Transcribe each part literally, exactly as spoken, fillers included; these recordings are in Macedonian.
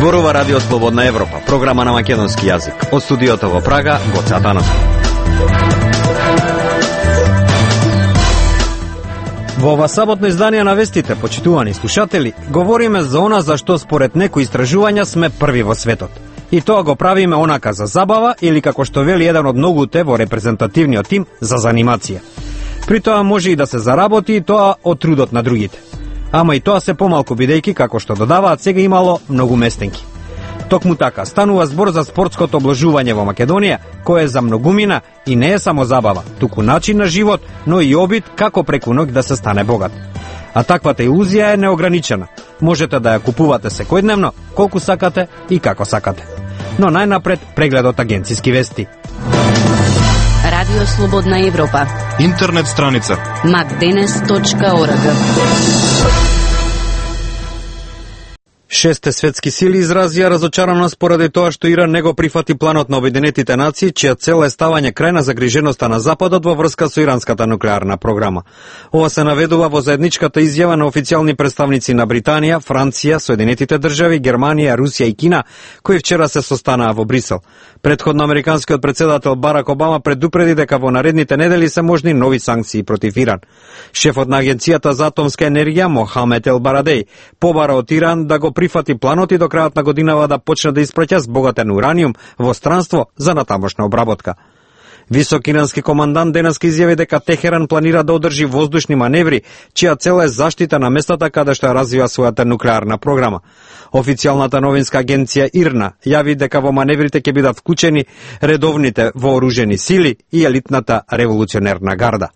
Зборува Радио Слободна Европа, програма на македонски јазик. Од студиото во Прага, Гоце Атанов. Во ова саботно издание на вестите, почитувани слушатели, говориме за она за што според некои истражувања сме први во светот. И тоа го правиме онака за забава или како што вели еден од многуте во репрезентативниот тим за занимација. При тоа може и да се заработи и тоа од трудот на другите. Ама и тоа се помалку бидејќи, како што додаваат, сега имало многу местенки. Токму така, станува збор за спортското обложување во Македонија, кое е за многумина и не е само забава, туку начин на живот, но и обид како преку ноќ да се стане богат. А таквата илузија е неограничена. Можете да ја купувате секојдневно, колку сакате и како сакате. Но најнапред прегледот агенциски вести. Радио Слободна Европа. Интернет страница макденес точка орг. Шесте светски сили изразија разочараност поради тоа што Иран не го прифати планот на Обединетите нации, чија цел е ставање крај на загриженоста на Западот во врска со иранската нуклеарна програма. Ова се наведува во заедничката изјава на официјални представници на Британија, Франција, Соединетите држави, Германија, Русија и Кина, кои вчера се состанаа во Брисел. Предходно американскиот председател Барак Обама предупреди дека во наредните недели се можни нови санкции против Иран. Шефот на Агенцијата за атомска енергија Мохамед Ел Барадеј побара од Иран да го прифати планот и до крајот на годинава да почне да испраќа збогатен ураниум во странство за натамошна обработка. Висок ирански командант денеска изјави дека Техеран планира да одржи воздушни маневри, чија цел е заштита на местата каде што ја развива својата нуклеарна програма. Официјалната новинска агенција ИРНА јави дека во маневрите ќе бидат вклучени редовните вооружени сили и елитната револуционерна гарда.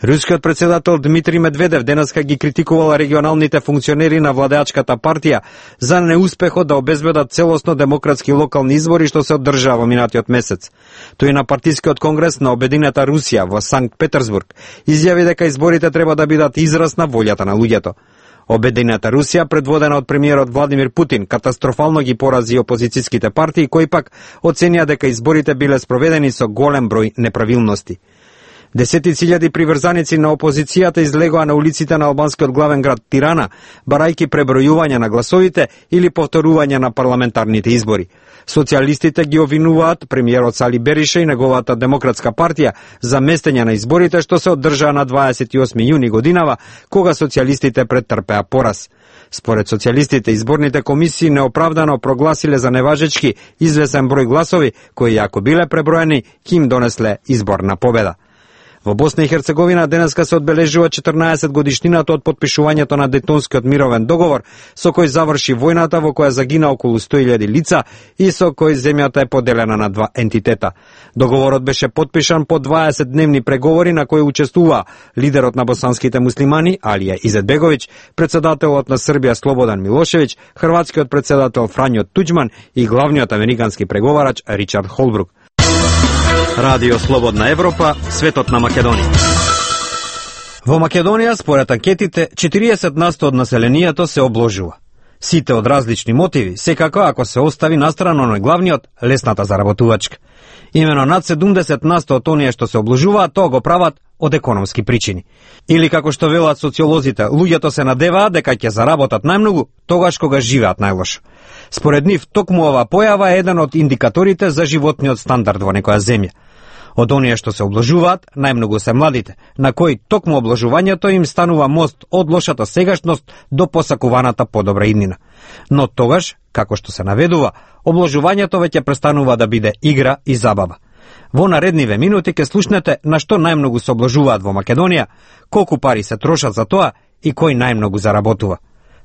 Рускиот председател Дмитрий Медведев денеска ги критикувал регионалните функционери на владеачката партија за неуспехот да обезбедат целосно демократски локални избори што се одржаа во минатиот месец. Тој на партискиот конгрес на Обединета Русија во Санкт Петерсбург изјави дека изборите треба да бидат израз на волјата на луѓето. Обединета Русија, предводена од премиерот Владимир Путин, катастрофално ги порази опозицијските партии кои пак оценија дека изборите биле спроведени со голем број неправилности. Десетици илјади приврзаници на опозицијата излегоа на улиците на албанскиот главен град Тирана, барајки пребројување на гласовите или повторување на парламентарните избори. Социјалистите ги обвинуваат премиерот Сали Бериша и неговата демократска партија за местење на изборите што се одржаа на дваесет и осми јуни годинава, кога социјалистите претрпеа пораз. Според социјалистите, изборните комисии неоправдано прогласиле за неважечки извесен број гласови, кои ако биле преброени, ќе им донесле изборна победа. Во Босна и Херцеговина денеска се одбележува четрнаесет годишнината од потпишувањето на Дејтонскиот мировен договор, со кој заврши војната во која загина околу сто илјади лица и со кој земјата е поделена на два ентитета. Договорот беше потпишан по дваесет дневни преговори на кои учествува лидерот на босанските муслимани Алија Изетбеговиќ, председателот на Србија Слободан Милошевиќ, хрватскиот председател Фрањо Туџман и главниот американски преговарач Ричард Холбрук. Радио Слободна Европа, светот на Македонија. Во Македонија, според анкетите, четириесет на сто од населението се обложува. Сите од различни мотиви, секако ако се остави настрано на главниот, лесната заработувачка. Имено над седумдесет на сто од оние што се обложуваат, тоа го прават од економски причини. Или како што велат социолозите, луѓето се надеваат дека ќе заработат најмногу тогаш кога живеат најлошо. Според нив, токму ова појава е еден од индикаторите за животниот стандард во некоја земја. Од оние што се обложуваат, најмногу се младите, на кои токму обложувањето им станува мост од лошата сегашност до посакуваната подобра иднина. Но тогаш, како што се наведува, обложувањето веќе престанува да биде игра и забава. Во наредниве минути ќе слушнете на што најмногу се обложуваат во Македонија, колку пари се трошат за тоа и кој најмногу заработува.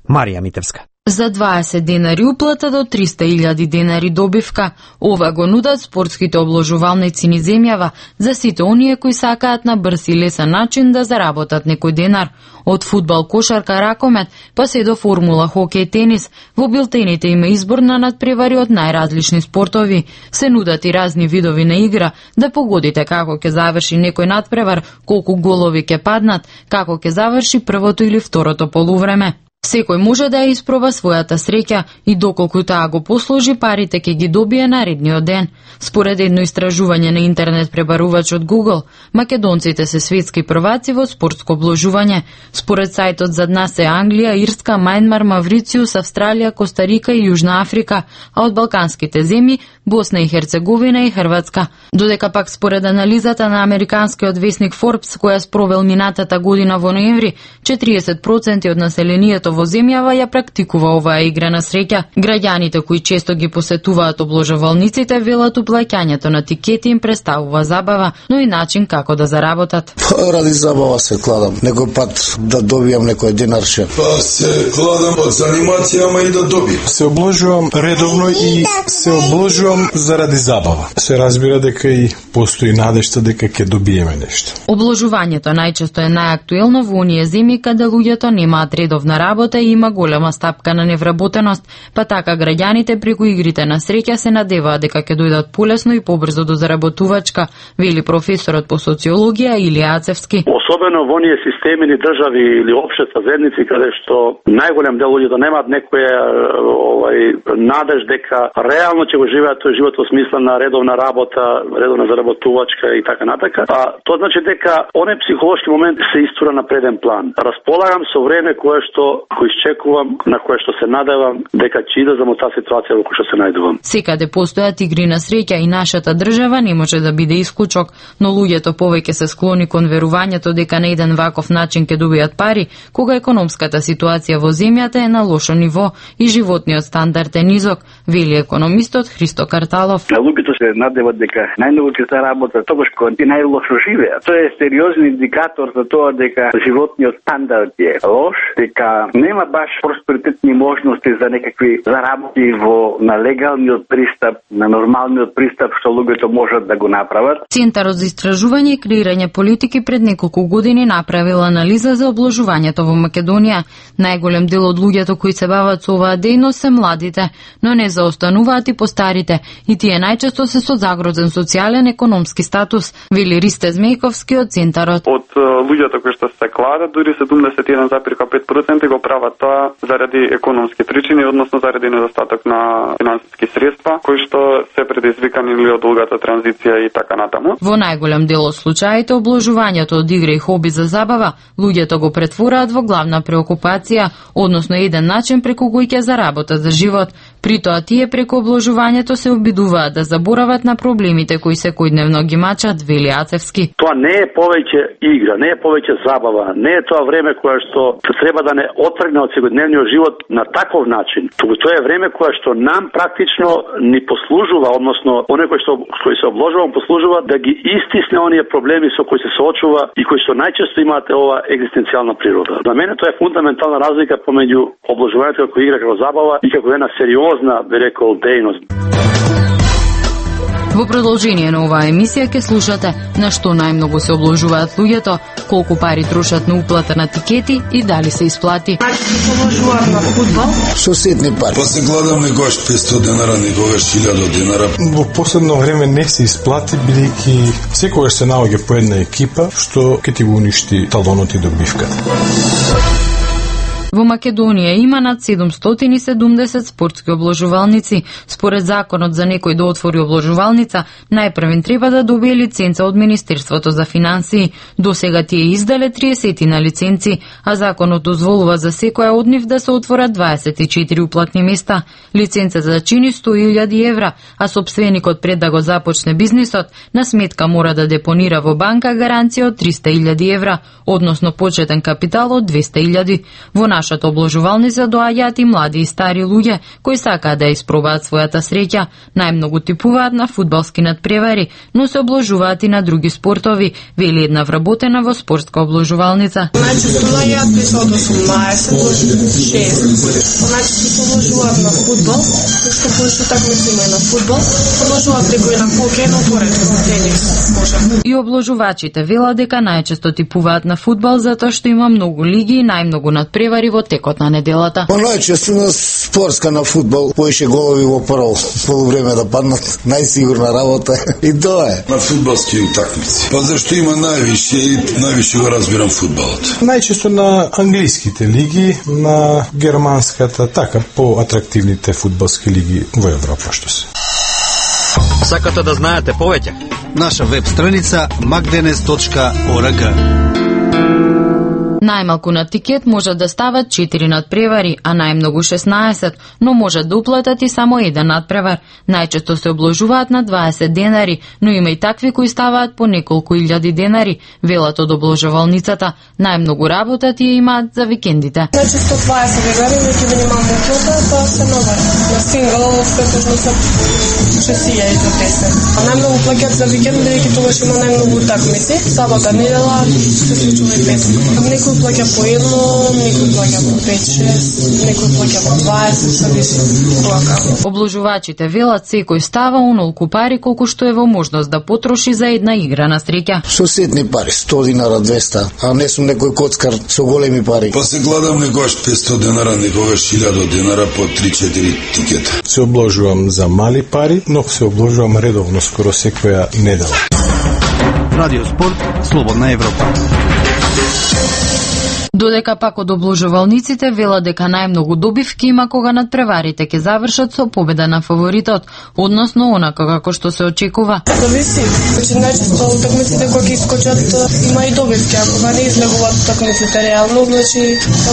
Марија Митевска. За дваесет денари уплата до триста илјади денари добивка. Ова го нудат спортските обложувалници низ земјава за сите оние кои сакаат на брз и лесен начин да заработат некој денар. Од фудбал, кошарка, ракомет, па се до формула, хокеј, тенис, во билтените има избор на надпревари од најразлични спортови. Се нудат и разни видови на игра, да погодите како ќе заврши некој надпревар, колку голови ќе паднат, како ќе заврши првото или второто полувреме. Секој може да ја испроба својата среќа и доколку таа го послужи, парите ќе ги добие наредниот ден. Според едно истражување на интернет пребарувач од Google, македонците се светски прваци во спортско обложување. Според сајтот зад нас се Англија, Ирска, Мајнмар, Маврициус, Австралија, Костарика и Јужна Африка, а од балканските земји Босна и Херцеговина и Хрватска. Додека пак според анализата на американскиот весник Forbes, која спровел минатата година во ноември, четириесет проценти од населението во земјава ја практикува оваа игра на среќа. Граѓаните кои често ги посетуваат обложувалниците велат уплаќањето на тикети им представува забава, но и начин како да заработат. Па, ради забава се кладам. Некој пат да добијам некој денарче. Па се кладам од занимација, ама и да добијам. Се обложувам редовно и се обложувам заради забава. Се разбира дека и постои надежта дека ќе добиеме нешто. Обложувањето најчесто е најактуелно во оние земји каде луѓето немаат редовна работа и има голема стапка на невработеност, па така граѓаните преку игрите на среќа се надеваат дека ќе дојдат полесно и побрзо до заработувачка, вели професорот по социологија Илија Ацевски. Особено во оние системи или држави или општества, заедници каде што најголем дел луѓето немаат некоја овај надеж дека реално ќе го живеат тој живот во смисла на редовна работа, редовна заработувачка и така натака. А тоа значи дека оној психолошки момент се истура на преден план. Располагам со време кое што го изчекувам, на кое што се надевам дека ќе идам во таа ситуација во која што се најдувам. Секаде постојат игри на среќа и нашата држава не може да биде исклучок, но луѓето повеќе се склони кон верувањето дека на еден ваков начин ќе добијат пари, кога економската ситуација во земјата е на лошо ниво и животниот стандард е низок, вели економистот Христо Карталов. Луѓето се надеват дека најмногу ќе заработат тогаш кога ти најлошо живеат. Тоа е сериозен индикатор за тоа дека животниот стандард е лош, дека нема баш просперитетни можности за некакви заработи во на легалниот пристап, на нормалниот пристап што луѓето можат да го направат. Центарот за истражување и креирање политики пред неколку години направил анализа за обложувањето во Македонија. Најголем дел од луѓето кои се бават со оваа дејност се младите, но не заостануваат и постарите, и тие најчесто се со загрозен социјален економски статус, вели Ристе Змејковски од Центарот. Од луѓето кои што се кладат, дури седумдесет и еден зарез пет проценти го прават тоа заради економски причини, односно заради недостаток на финансиски средства, кои што се предизвикани или од долгата транзиција и така натаму. Во најголем дел од случаите обложувањето од игра и хоби за забава, луѓето го претвораат во главна преокупација, односно еден начин преку кој ќе заработат за живот. При тоа тие преку обложувањето се обидуваат да заборават на проблемите кои секојдневно ги мачат, вели Ацевски. Тоа не е повеќе игра, не е повеќе забава, не е тоа време кое што треба да не отргне од секојдневниот живот на таков начин. Тоа е време кое што нам практично ни послужува, односно оне кои што кои се обложува, послужува да ги истисне оние проблеми со кои се соочува и кои што најчесто имаат ова екзистенцијална природа. За мене тоа е фундаментална разлика помеѓу обложувањето како игра, како забава и како една сериозна, би рекол, дејност. Во продолжение на оваа емисија ќе слушате на што најмногу се обложуваат луѓето, колку пари трошат на уплата на тикети и дали се исплати. Обложуваат на фудбал? Со ситни пари. Па се гладам некогаш петстотини денара, некогаш илјада денара. Во последно време не се исплати, бидејќи секогаш се наоѓа по една екипа што ќе ти го уништи талонот и добивката. Во Македонија има над седумстотини и седумдесет спортски обложувалници. Според законот за некој да отвори обложувалница, најпрвен треба да добие лиценца од Министерството за финансии. До сега тие издале триесет на лиценци, а законот дозволува за секоја од нив да се отворат дваесет и четири уплатни места. Лиценцата чини сто илјади евра, а сопственикот пред да го започне бизнисот, на сметка мора да депонира во банка гаранција од триста илјади евра, односно почетен капитал од двесте илјади. Во нашата обложувалница доаѓаат и млади и стари луѓе кои сакаат да испробаат својата среќа. Најмногу типуваат на фудбалски надпревари, но се обложуваат и на други спортови, вели една вработена во спортска обложувалница. Значи, доаѓаат и од осумнаесет до шест. Значи, се обложуваат на фудбал, што повеќе такмици има на фудбал, обложуваат преку на хокеј, но поредко на тенис, може. И обложувачите велат дека најчесто типуваат на фудбал затоа што има многу лиги и најмногу надпревари и во текот на неделата. Па најчесто на спортска на фудбал, поише голови во прво полувреме да паднат, најсигурна работа и тоа е. На фудбалски утакмици. Па зашто има највише и највише го разбирам фудбалот. Најчесто на англиските лиги, на германската, така поатрактивните фудбалски лиги во Европа што се. Сакате да знаете повеќе? Наша веб страница макденес точка орг. Најмалку на тикет можат да стават четири надпревари, а најмногу шеснаесет, но можат да уплатат и само еден надпревар. Најчесто се обложуваат на дваесет денари, но има и такви кои ставаат по неколку илјади денари, велат од обложувалницата. Најмногу работа тие имаат за викендите. Најчесто дваесет денари, веќе минимална уплата, тоа се нова. На сингл претежно се шест илјади до десет. А најмногу плаќаат за викенд, бидејќи тогаш има најмногу утакмици. Сабота, недела, се случува и петок. Некој плаќа по едно, некој плаќа по пет-шест, некој плаќа по дваесет, зависи тоа како. Обложувачите велат секој става онолку пари колку што е во можност да потроши за една игра на среќа. Со ситни пари, сто динара, двеста, а не сум некој коцкар со големи пари. Па се гладам некогаш петсто денара, некогаш илјада денара по три-четири тикета. Се обложувам за мали пари, но се обложувам редовно скоро секоја недела. Радио Спорт, Слободна Европа. Додека пак од обложувалниците вела дека најмногу добивки има кога надпреварите ќе завршат со победа на фаворитот, односно онака како што се очекува. Зависи, значи најчесто утакмиците кои ќе искочат има и добивки, а кога не излегуваат утакмиците реално, значи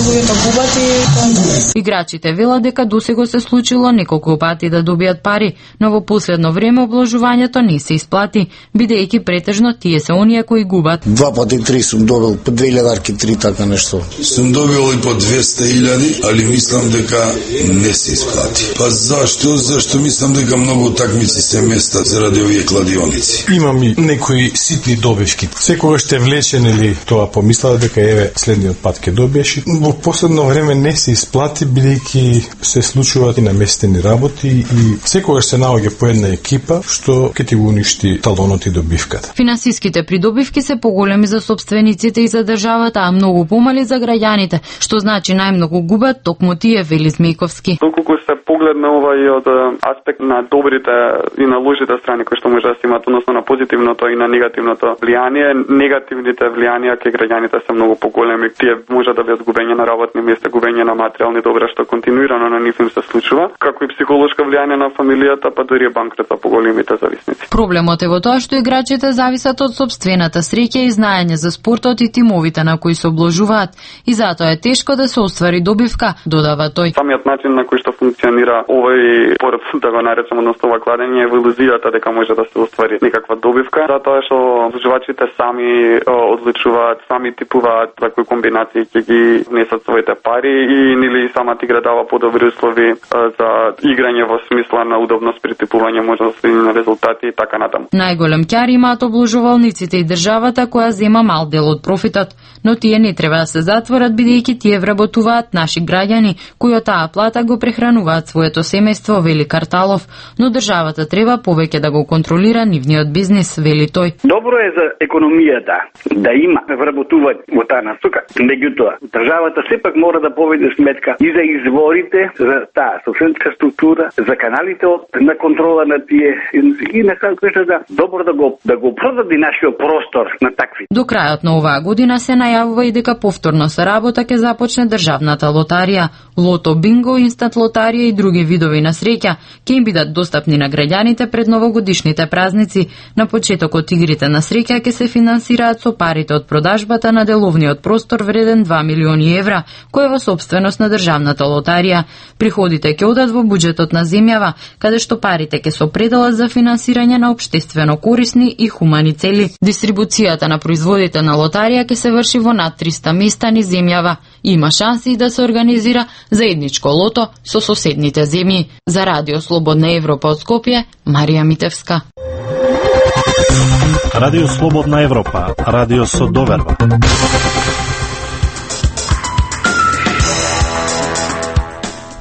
луѓето губат и тоа. Играчите велат дека досега се случило неколку пати да добијат пари, но во последно време обложувањето не се исплати, бидејќи претежно тие се оние кои губат. Два пати три сум добил, по две илјадарки три така нешто. Сум добил и по двеста илјади, али мислам дека не се исплати. Па зашто? Зашто мислам дека многу утакмици се местат заради овие кладионици. Имам и некои ситни добивки. Секогаш те влечен или тоа помислав дека еве следниот пат ќе добиеш. Во последно време не се исплати, бидејќи се случуваат и наместени работи и секогаш се наоѓа по една екипа што ќе ти го уништи талонот и добивката. Финансиските придобивки се поголеми за собствениците и за државата, а многу помали за граѓаните, што значи најмногу губат токму тие, вели Змејковски. Доколку се погледне ова и од аспект на добрите и на лошите страни кои што може да се имат, односно на позитивното и на негативното влијание, негативните влијанија кај граѓаните се многу поголеми. Тие може да бидат губење на работни места, губење на материјални добра што континуирано на нив им се случува, како и психолошко влијание на фамилијата, па дури банкрот за поголемите зависници. Проблемот е во тоа што играчите зависат од сопствената среќа и знаење за спортот и тимовите на кои се обложуваат, и затоа е тешко да се оствари добивка, додава тој. Самиот начин на кој што функционира овој спорт, да го наречам, односно ова кладење, е во илузијата дека може да се оствари некаква добивка, затоа што обложувачите сами одличуваат, сами типуваат за кои комбинации ќе ги внесат своите пари и нели самата игра дава подобри услови за играње во смисла на удобност при типување, можностни резултати и така натаму. Најголем ќар имаат обложувалниците и државата која зема мал дел од профитот, но тие не треба да се затворат бидејќи тие вработуваат наши граѓани кои од таа плата го прехрануваат своето семејство, вели Карталов, но државата треба повеќе да го контролира нивниот бизнис, вели тој. Добро е за економијата да има вработување во таа насока, меѓутоа државата сепак мора да поведе сметка и за изворите, за таа собственска структура, за каналите на контрола на тие и на крајот да добро да го да го продади нашиот простор на такви. До крајот на оваа година се најавува и дека повторно се работа ќе започне државната лотарија, лото, бинго, инстант лотарија и други видови на среќа ќе им бидат достапни на граѓаните пред новогодишните празници. На почетокот игрите на среќа ќе се финансираат со парите од продажбата на деловниот простор вреден два милиони евра, кој е во собственост на државната лотарија. Приходите ќе одат во буџетот на земјава, каде што парите ќе се определат за финансирање на општествено корисни и хумани цели. Дистрибуцијата на производите на лотарија ќе се врши во над триста места низ земјава. Има шанси да се организира заедничко лото со соседните земји. За Радио Слободна Европа од Скопје, Марија Митевска. Радио Слободна Европа, радио со доверба.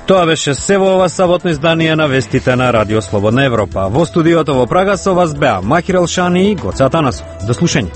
Тоа беше се во ова саботно издание на вестите на Радио Слободна Европа. Во студиото во Прага со вас беа Махир Елшани и Гоце Атанасов. До слушање.